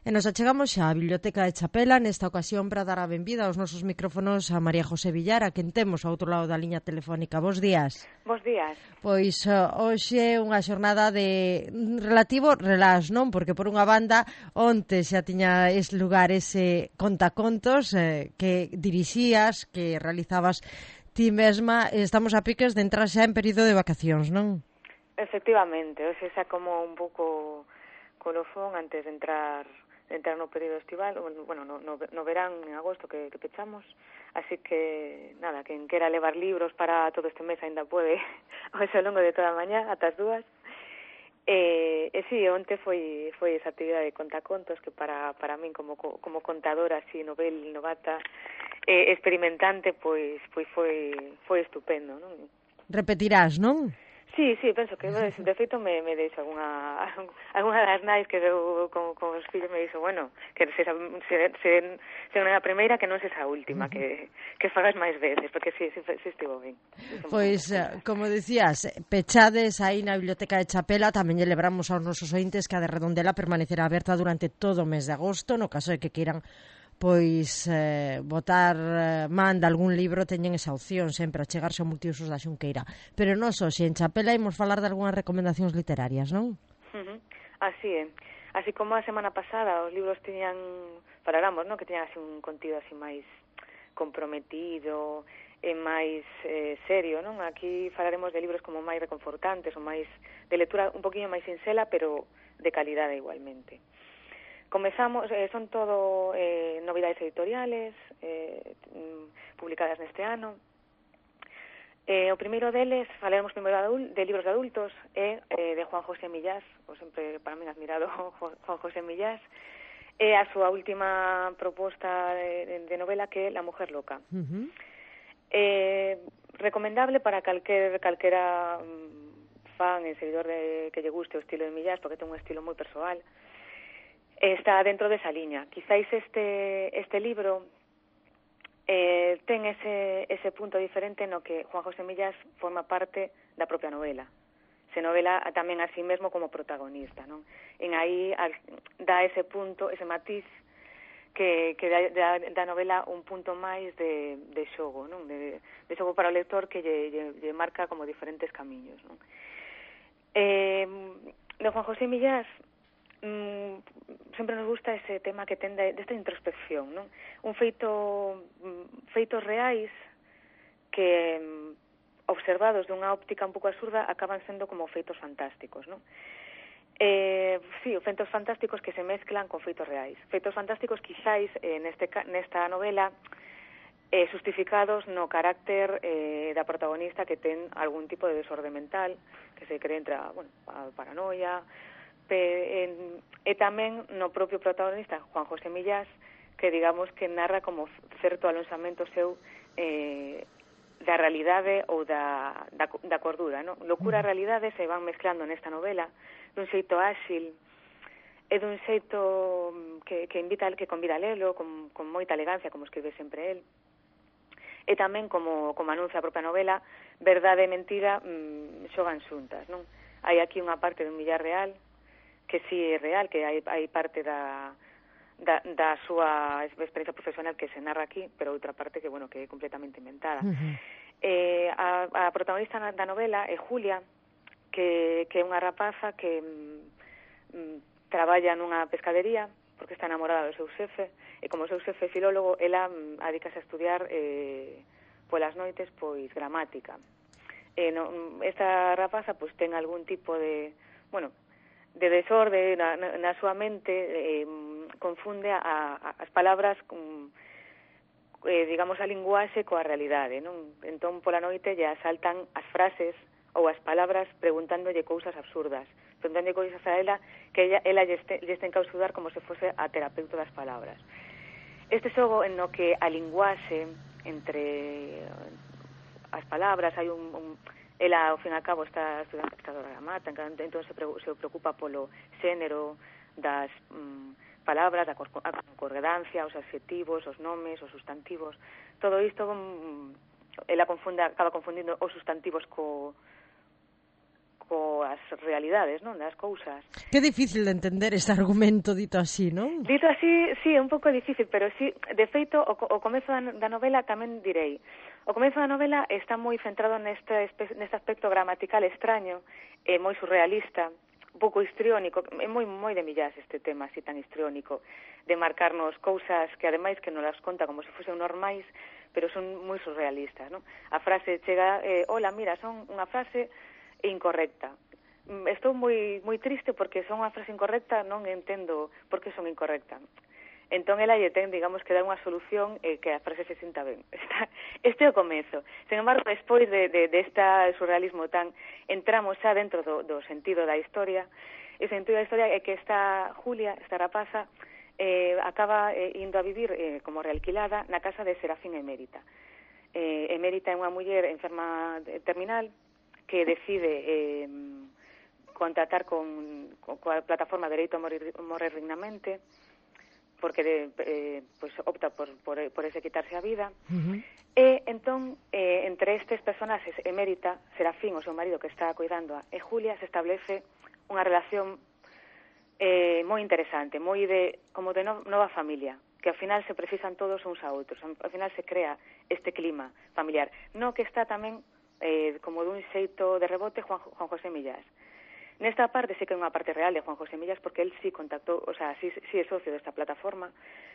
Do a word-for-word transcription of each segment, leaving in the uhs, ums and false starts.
E nos achegamos xa á Biblioteca de Chapela nesta ocasión para dar a benvida aos nosos micrófonos a María José Villar, a quen temos ao outro lado da liña telefónica. Bos días. Bos días. Pois uh, hoxe unha xornada de relativo relax, non? Porque por unha banda onte xa tiña ese lugar ese contacontos eh, que dirixías, que realizabas ti mesma. Estamos a piques de entrar xa en período de vacacións, non? Efectivamente, hoxe xa como un pouco colofón antes de entrar de entrar no período estival, bueno, no, no, no verán en agosto que, que pechamos, así que, nada, quen quera levar libros para todo este mes ainda pode, hoxe ao longo de toda a mañá, ata as dúas. E, e si, onte foi, foi esa actividade de contacontos que para, para min como, como contadora así novel, novata, eh, experimentante, pois, pois foi, foi estupendo, non? Repetirás, non? Sí, sí, penso que de feito me, me deixo alguna alguna das nais que veu con, con os fillos me dixo, bueno, que se, se, se, se non é a primeira que non se a última, que, que fagas máis veces, porque si, si, si estivo ben. Pois, como decías, pechades aí na Biblioteca de Chapela, tamén lle lebramos aos nosos ointes que a de Redondela permanecerá aberta durante todo o mes de agosto, no caso de que queiran pois eh, botar eh, man de algún libro, teñen esa opción sempre a chegarse ao multiusos da Xunqueira. Pero non só, se en Chapela imos falar de algunhas recomendacións literarias, non? Uh-huh. Así é. Así como a semana pasada os libros teñan, faláramos, non? Que teñan así un contido así máis comprometido e máis eh, serio, non? Aquí falaremos de libros como máis reconfortantes ou máis de lectura un poquinho máis sincela, pero de calidade igualmente. Comezamos, eh, son todo eh, novidades editoriales eh, publicadas neste ano. Eh, o primeiro deles, falaremos primeiro de, de libros de adultos, é eh, de Juan José Millás, o sempre para mí admirado Juan José Millás, é a súa última proposta de, de novela que é La mujer loca. Uh-huh. Eh, recomendable para calquer, calquera fan e seguidor de, que lle guste o estilo de Millás, porque ten un estilo moi persoal. Está dentro desa liña. Quizáis este este libro eh, ten ese ese punto diferente no que Juan José Millás forma parte da propia novela. Se novela tamén a sí mesmo como protagonista, non? En aí al, dá ese punto, ese matiz que, que dá, dá, dá novela un punto máis de, de xogo, non? De, de xogo para o lector que lle, lle, lle marca como diferentes camiños, non? Eh, de Juan José Millás Mm, sempre nos gusta ese tema que ten de, desta introspección, non? Un feito feitos reais que observados dunha óptica un pouco absurda acaban sendo como feitos fantásticos, non? Eh, sí, feitos fantásticos que se mezclan con feitos reais. Feitos fantásticos quizáis eh, neste, nesta novela eh, justificados no carácter eh, da protagonista que ten algún tipo de desorde mental, que se cree entre a, bueno, a paranoia, E, e tamén no propio protagonista Juan José Millás, que digamos que narra como certo alonsamento seu eh, da realidade ou da, da, da cordura, non? Locura e realidade se van mezclando nesta novela dun xeito áxil e dun xeito que, que invita que convida a lelo con, con moita elegancia, como escribe sempre el. E tamén, como, como anuncia a propia novela, verdade e mentira mmm, xogan xuntas, non? Hai aquí unha parte dun Millar real que sí é real, que hai, hai parte da, da, da súa experiencia profesional que se narra aquí, pero outra parte que, bueno, que é completamente inventada. Uh-huh. Eh, a, a protagonista da novela é Julia, que, que é unha rapaza que mm, traballa nunha pescadería, porque está enamorada do seu xefe, e como o seu xefe é filólogo, ela mm, adicase a estudiar eh, polas noites, pois, gramática. Eh, no, esta rapaza, pois, ten algún tipo de, bueno, de desorde na, na, na súa mente, eh, confunde a, a, as palabras con, eh, digamos, a linguaxe coa realidade, non? Entón, pola noite lle asaltan as frases ou as palabras preguntándolle cousas absurdas, preguntándolle cousas a ela que ella, ela lle, este, lle este encausudar como se fose a terapeuta das palabras. Este xogo en no que a linguaxe entre as palabras hai un, un ela, ao fin e ao cabo, está estudando pescadora da mata, entón se, pre, se preocupa polo xénero das mm, palabras, da concordancia, os adxetivos, os nomes, os sustantivos. Todo isto, mm, ela confunde, acaba confundindo os sustantivos co, coas realidades, non, das cousas. Que difícil de entender este argumento dito así, non? Dito así, sí, é un pouco difícil, pero sí, de feito, o, o comezo da, da novela tamén direi. O comezo da novela está moi centrado neste, neste aspecto gramatical extraño, e moi surrealista, un pouco histriónico, é moi moi de Millás este tema así tan histriónico, de marcarnos cousas que ademais que non las conta como se fosen normais, pero son moi surrealistas, non? A frase chega, eh, hola, mira, son unha frase incorrecta. Estou moi moi triste porque son unha frase incorrecta, non entendo por que son incorrecta. Entón, ela lle ten, digamos, que dar unha solución e eh, que a frase se sinta ben. Este é o comezo. Sen embargo, despois de, de, de este surrealismo tan, entramos xa dentro do, do sentido da historia. E o sentido da historia é que esta Julia, esta rapaza, eh, acaba eh, indo a vivir eh, como realquilada na casa de Serafín Emérita. Eh, Emérita é unha muller enferma terminal que decide eh, contratar con, con coa plataforma Dereito a Morir, morir Dignamente, porque de, eh, pues opta por, por, por ese quitarse a vida. Uh-huh. E entón, eh, entre estes personaxes, Emérita, Serafín, o seu marido que está cuidando a, e Julia, se establece unha relación eh, moi interesante, moi de, como de no, nova familia, que ao final se precisan todos uns a outros, ao final se crea este clima familiar. No que está tamén Eh, como dun xeito de rebote Juan, Juan José Millás. Nesta parte sí que é unha parte real de Juan José Millás porque él sí contactou, o sea, sí, sí é socio desta plataforma.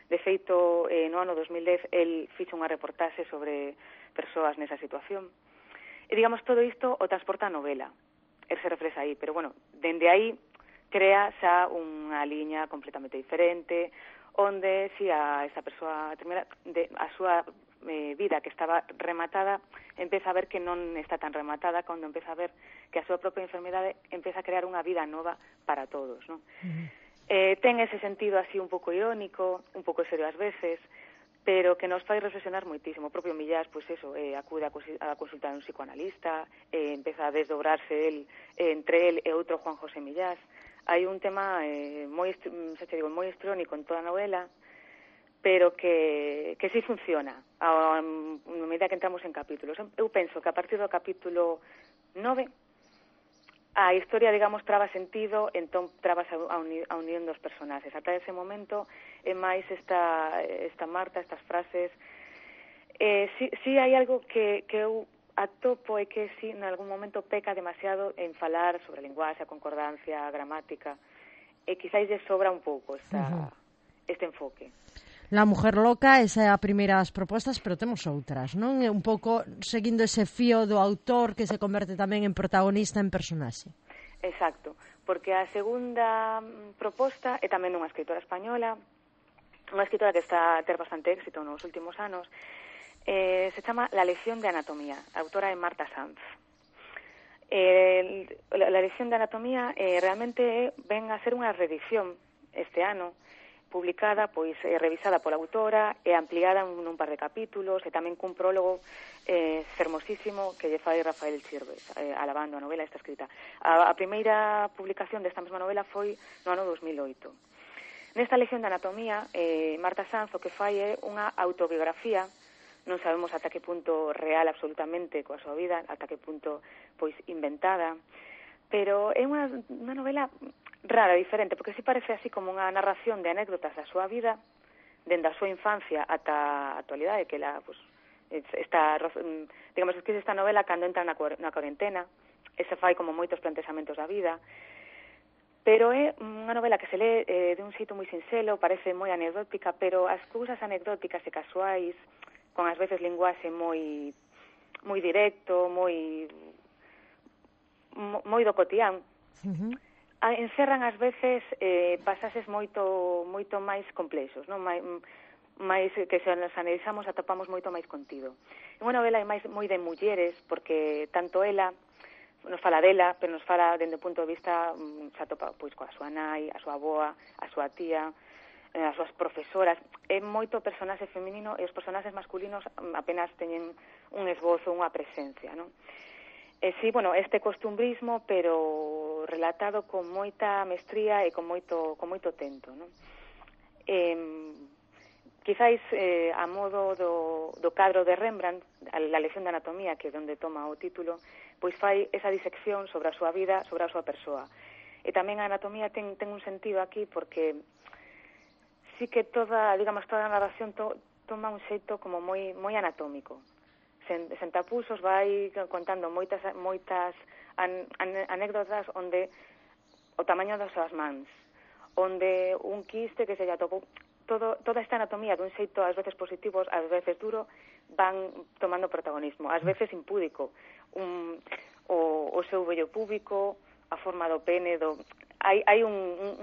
De feito, eh, no ano dos mil dez, él fixo unha reportaxe sobre persoas nesa situación. E, digamos, todo isto o transporta a novela. Él se reflexa aí, pero, bueno, dende aí crea xa unha liña completamente diferente, onde, si a esa persoa termina, de, a súa eh, vida que estaba rematada, empeza a ver que non está tan rematada, cando empeza a ver que a súa propia enfermedade empeza a crear unha vida nova para todos, non? Uh-huh. Eh, ten ese sentido así un pouco irónico, un pouco serio ás veces, pero que nos fai reflexionar moitísimo. O propio Millás, pois pues eso, eh, acude a, a consultar un psicoanalista, eh, empeza a desdobrarse el, eh, entre el e outro Juan José Millás. Hai un tema eh, moi, se te digo, moi histriónico en toda a novela, pero que, que sí funciona a, a medida que entramos en capítulos. Eu penso que a partir do capítulo nove a historia, digamos, traba sentido, entón trabas a, a, uni, a unión dos personaxes. Ata ese momento é máis esta, esta Marta, estas frases. Eh, sí, sí hai algo que, que eu atopo e que sí, en algún momento peca demasiado en falar sobre a linguaxe, a concordancia, a gramática, e quizáis lle sobra un pouco esta, uh-huh. este enfoque. La mujer loca, esa é a primeira das propostas, pero temos outras, non? Un pouco seguindo ese fío do autor que se converte tamén en protagonista, en personaxe. Exacto, porque a segunda proposta é tamén unha escritora española, unha escritora que está a ter bastante éxito nos últimos anos, eh, se chama La lección de anatomía, a autora é Marta Sanz. Eh, la, la lección de anatomía eh, realmente ven a ser unha reedición este ano, publicada, pois eh, revisada pola autora e ampliada en un par de capítulos e tamén cun prólogo eh, fermosísimo que lle fai Rafael Chirves, eh, alabando a novela esta escrita. A, a primeira publicación desta mesma novela foi no ano dos mil oito. Nesta lección de anatomía, eh, Marta Sanz o que fai é unha autobiografía, non sabemos ata que punto real absolutamente coa súa vida, ata que punto pois inventada, pero é unha, unha novela rara, diferente, porque si parece así como unha narración de anécdotas da súa vida, dende a súa infancia ata a actualidade, que la, pues, está, digamos, que esta novela cando entra na, na cuarentena, e se fai como moitos plantexamentos da vida, pero é unha novela que se lee eh, de un xeito moi sinxelo, parece moi anecdótica, pero as cousas anecdóticas e casuais, con ás veces linguaxe moi moi directo, moi moi do cotián, uh-huh. encerran ás veces eh, pasaxes moito moito máis complexos, non? Mai, máis que se nos analizamos atopamos moito máis contido. É unha novela máis moi de mulleres, porque tanto ela nos fala dela, pero nos fala dende o punto de vista se atopa pois coa súa nai, a súa avoa, a súa tía, as súas profesoras. É moito personaxe feminino e os personaxes masculinos apenas teñen un esbozo, unha presencia, non? E sí, bueno, este costumbrismo, pero relatado con moita mestría e con moito con moito tento, non? Eh, quizáis eh, a modo do, do cadro de Rembrandt, a la lección de anatomía, que é onde toma o título, pois fai esa disección sobre a súa vida, sobre a súa persoa. E tamén a anatomía ten, ten un sentido aquí porque sí que toda, digamos, toda a narración to, toma un xeito como moi moi anatómico. Sen, sen tapusos vai contando moitas moitas an, an, anécdotas onde o tamaño das súas mans, onde un quiste que se lle atopou, todo, toda esta anatomía dun xeito ás veces positivos, ás veces duro, van tomando protagonismo, ás veces impúdico, un, o, o seu vello púbico, a forma do pene, do hai, hai un,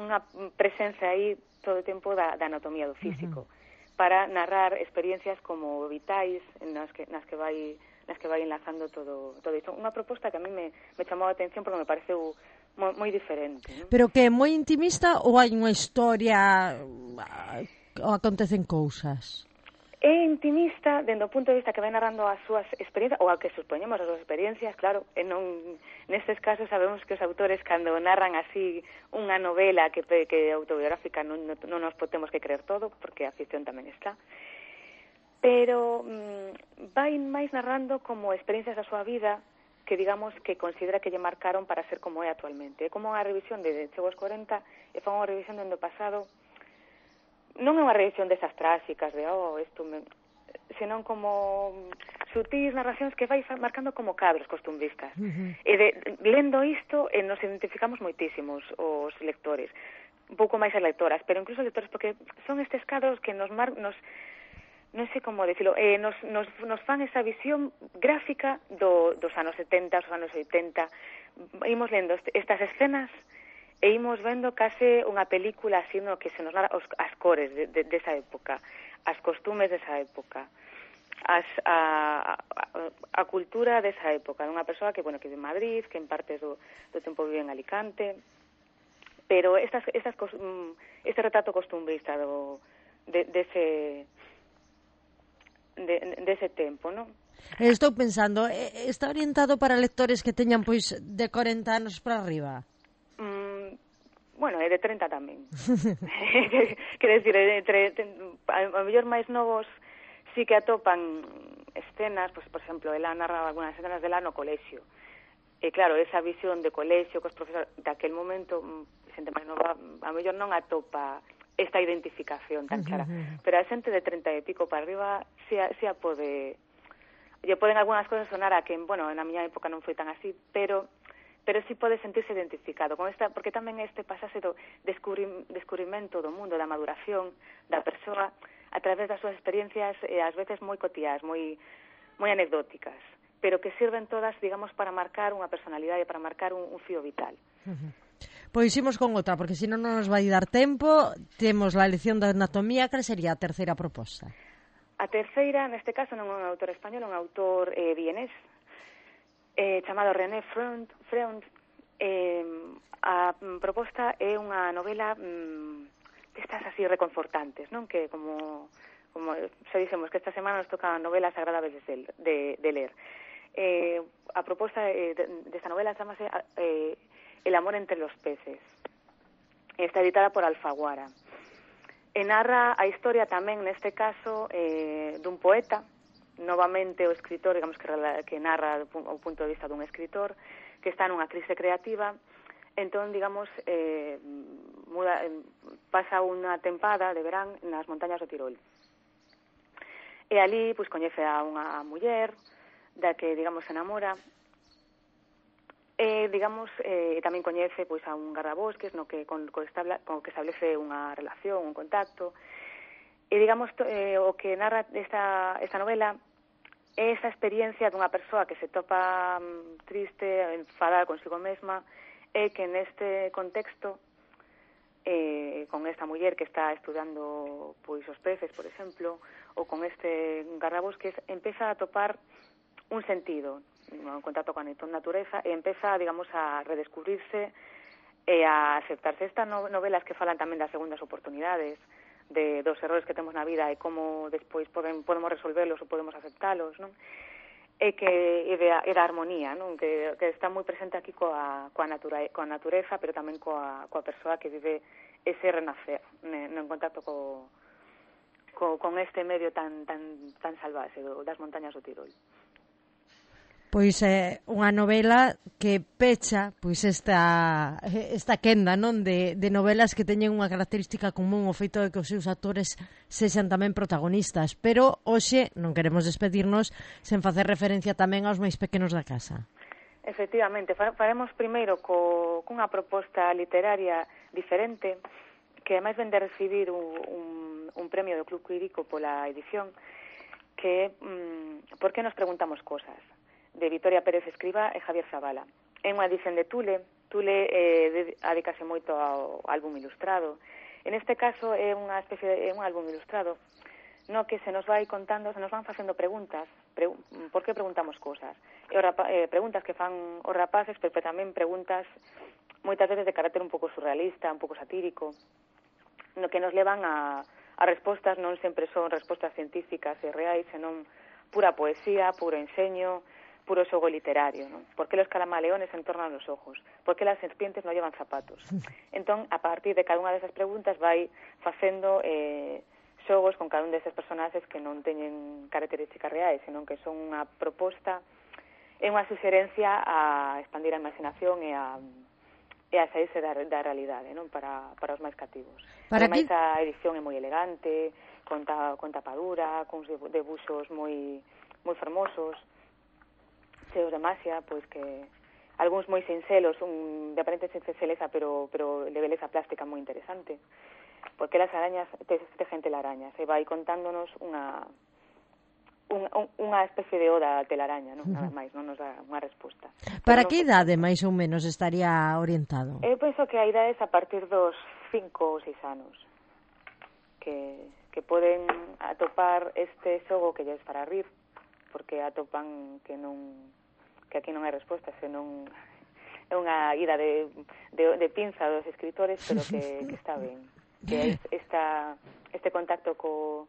unha presencia aí todo o tempo da, da anatomía do físico, uh-huh, para narrar experiencias como vitais nas que, nas que vai nas que vai enlazando todo, todo isto. Unha proposta que a mí me, me chamou a atención porque me pareceu moi, moi diferente, ¿no? Pero que é moi intimista ou hai unha historia ou acontecen cousas? É intimista dende o punto de vista que vai narrando as súas experiencias, ou a que supoñemos as súas experiencias, claro, e non, nestes casos sabemos que os autores cando narran así unha novela que, que é autobiográfica non, non, non nos podemos que creer todo, porque a ficción tamén está, pero mm, vai máis narrando como experiencias da súa vida que digamos que considera que lle marcaron para ser como é actualmente. É como unha revisión de chegou aos corenta e foi unha revisión dende o pasado. Non é unha revisión desas tráxicas de, oh, isto me... senón como sutis narracións que vai marcando como cadros costumbristas. Uh-huh. E de, lendo isto, eh, nos identificamos moitísimos os lectores, un pouco máis as lectoras, pero incluso os lectores, porque son estes cadros que nos mar... nos non sei como decirlo, eh, nos, nos, nos fan esa visión gráfica do, dos anos setenta, dos anos oitenta, imos lendo estas escenas e imos vendo case unha película así no que se nos narra os, as cores de, de, desa época, as costumes desa época, as, a, a, a cultura desa época, unha persoa que, bueno, que vive en Madrid, que en parte do, do tempo vive en Alicante, pero estas, estas, este retrato costumbrista do, de, dese, de, dese tempo, non? Estou pensando, está orientado para lectores que teñan, pois, de corenta anos para arriba? Bueno, é de treinta tamén. Quer decir, entre, a mellor máis novos sí que atopan escenas, pues, por exemplo, ela narraba algunhas escenas dela no colexio. E claro, esa visión de colexio cos profesores daquel momento, xente máis nova, a mellor non atopa esta identificación tan clara. Pero a xente de treinta e pico para arriba si a, si a pode... Lle poden algunhas cosas sonar a que, bueno, na miña época non foi tan así, pero... pero sí pode sentirse identificado con esta, porque tamén este pasase do descubri, descubrimento do mundo, da maduración da persoa a través das súas experiencias, eh, ás veces moi cotiás, moi moi anecdóticas, pero que sirven todas, digamos, para marcar unha personalidade, para marcar un, un fío vital. Uh-huh. Pois imos con outra, porque senón non nos vai dar tempo. Temos la lección de anatomía. Que sería a terceira proposta? A terceira, neste caso, non é un autor español, é un autor eh, vienés, Eh, chamado René Freund, Freund eh, a proposta é unha novela mm, destas así reconfortantes, non? Que como, como xa dixemos que esta semana nos tocan novelas agradables de, de, de ler. Eh, a proposta eh, desta de novela chamase eh, El amor entre los peces. Está editada por Alfaguara. E narra a historia tamén, neste caso, eh, dun poeta, novamente o escritor, digamos que, que narra o punto de vista dun escritor que está nunha crise creativa, entón, digamos, eh, muda, pasa unha tempada de verán nas montañas do Tirol. E ali, pois, coñece a unha muller da que, digamos, se enamora, e, digamos, eh, tamén coñece, pois, a un gardabosques no que, con, con, establa, con que establece unha relación, un contacto. E, digamos, to, eh, o que narra esta, esta novela é esa experiencia dunha persoa que se topa um, triste, enfadada consigo mesma, e que neste contexto, eh, con esta muller que está estudando pois os peces, por exemplo, ou con este gardabosques, empeza a topar un sentido, un contacto con a natureza, e empeza, digamos, a redescubrirse e a aceptarse. Estas novelas que falan tamén das segundas oportunidades, de dos errores que temos na vida e como despois poden, podemos resolverlos ou podemos aceptalos, non? E que é da, é da armonía, non? Que, que está moi presente aquí coa, coa, natura, coa natureza, pero tamén coa, coa persoa que vive ese renacer, no, en contacto co, co, con este medio tan tan tan salvaxe do, das montañas do Tirol. Pois é eh, unha novela que pecha pois esta esta quenda, non, de, de novelas que teñen unha característica común, o feito de que os seus actores sexan tamén protagonistas, pero hoxe non queremos despedirnos sen facer referencia tamén aos máis pequenos da casa. Efectivamente, faremos primeiro co, cunha proposta literaria diferente, que ademais ven de recibir un, un, un premio do Club Quirico pola edición, que mm, por que nos preguntamos cosas, de Vitoria Pérez Escrivá e Javier Zavala. É unha edición de Tule, Tule eh, adicase moito ao álbum ilustrado. En este caso é unha especie de é un álbum ilustrado no que se nos vai contando, se nos van facendo preguntas, pre, por que preguntamos cosas, e os rapa, eh, preguntas que fan os rapaces, pero tamén preguntas moitas veces de carácter un pouco surrealista, un pouco satírico, no que nos levan a, a respostas, non sempre son respostas científicas e reais, senón pura poesía, puro enseño, puro xogo literario, ¿no? ¿Por qué los calamaleones entornan los ojos? ¿Por qué las serpientes no llevan zapatos? Entón, a partir de cada unha desas preguntas vai facendo eh, xogos con cada un destes personaxes que non teñen características reais, senón que son unha proposta e unha suxerencia a expandir a imaginación e a, e a saírse da, da realidade, non, para, para os máis cativos. Para Ademais, que... a edición é moi elegante, con, ta, con tapadura, con debuxos moi moi fermosos, cheos de masia, pois que algúns moi sincelos, un, de aparente sinceleza, pero, pero de beleza plástica moi interesante. Porque las arañas, te, te gente la araña, se vai contándonos unha un, un, unha especie de oda a telaraña, non? Nada máis, non nos dá unha resposta. Para non, que idade máis ou menos estaría orientado? Eu penso que a idade é a partir dos cinco ou seis anos, que, que poden atopar este xogo que lles fará rir, porque atopan que non que aquí non hai resposta, senón é unha ida de, de, de pinza dos escritores, pero que, que está ben. Que esta, este contacto co,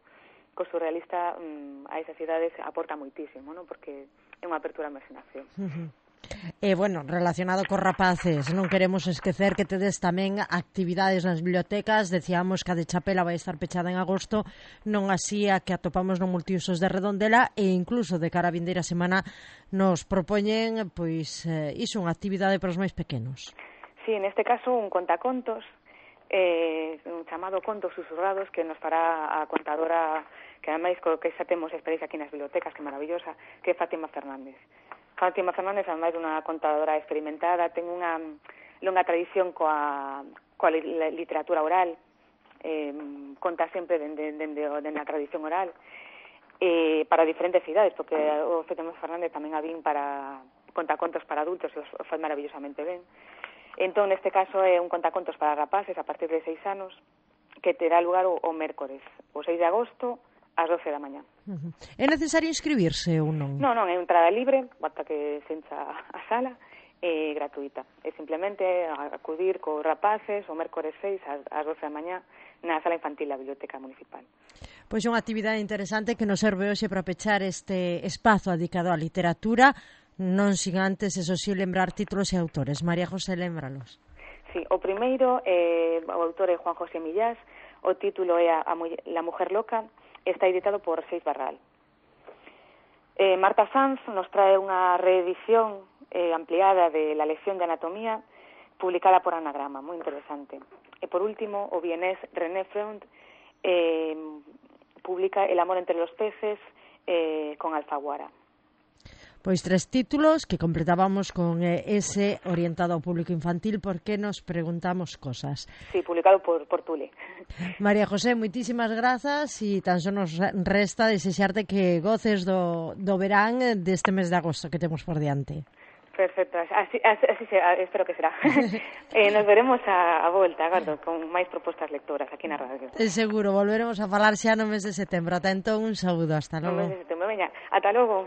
co surrealista um, a esas idades aporta moitísimo, ¿no? Porque é unha apertura á imaginación. Uh-huh. E, bueno, relacionado cos rapaces, non queremos esquecer que tedes tamén actividades nas bibliotecas. Decíamos que a de Chapela vai estar pechada en agosto, non así a que atopamos no Multiusos de Redondela, e incluso de cara a vindeira semana nos propoñen, pois, eh, iso, unha actividade para os máis pequenos. Sí, neste caso un contacontos, eh, un chamado Contos Susurrados, que nos fará a contadora, que ademais co que xa temos experiencia aquí nas bibliotecas, que maravillosa, que é Fátima Fernández. Fátima Fernández, ademais, unha contadora experimentada, ten unha longa tradición coa, coa literatura oral, eh, conta sempre dende, dende, dende a tradición oral, eh, para diferentes idades, porque o Fátima Fernández tamén a vin para contacontos para adultos, e os fai maravillosamente ben. Entón, neste caso, é un contacontos para rapaces a partir de seis anos, que terá lugar o, o mércores, o seis de agosto, ás doce da mañá. Uh-huh. É necesario inscribirse ou non? Non, non, é entrada libre, basta que se encha a sala, é gratuita. É simplemente acudir cos rapaces o mércores seis ás doce da mañá na sala infantil da Biblioteca Municipal. Pois é unha actividade interesante que nos serve hoxe para pechar este espazo dedicado á literatura, non sin antes, eso sí, lembrar títulos e autores. María José, lémbralos. Sí, o primeiro, eh, o autor é Juan José Millás, o título é a, a La Mujer Loca, está editado por Seis Barral. Eh, Marta Sanz nos trae unha reedición eh, ampliada de La lección de anatomía, publicada por Anagrama, moi interesante. E por último, o vienés René Freund eh, publica El amor entre los peces eh, con Alfaguara. Pois tres títulos que completábamos con eh, ese orientado ao público infantil, porque nos preguntamos cosas. Sí, publicado por, por Tule. María José, moitísimas grazas, e tan só nos resta desexarte que goces do, do verán deste mes de agosto que temos por diante. Perfecto, así, así, así será, espero que será. eh, nos veremos a, a volta, agardo, con máis propostas lectoras aquí na radio. É seguro, volveremos a falar xa no mes de setembro. Ata entón, un saúdo, hasta logo. No mes de setembro, veña, ata logo.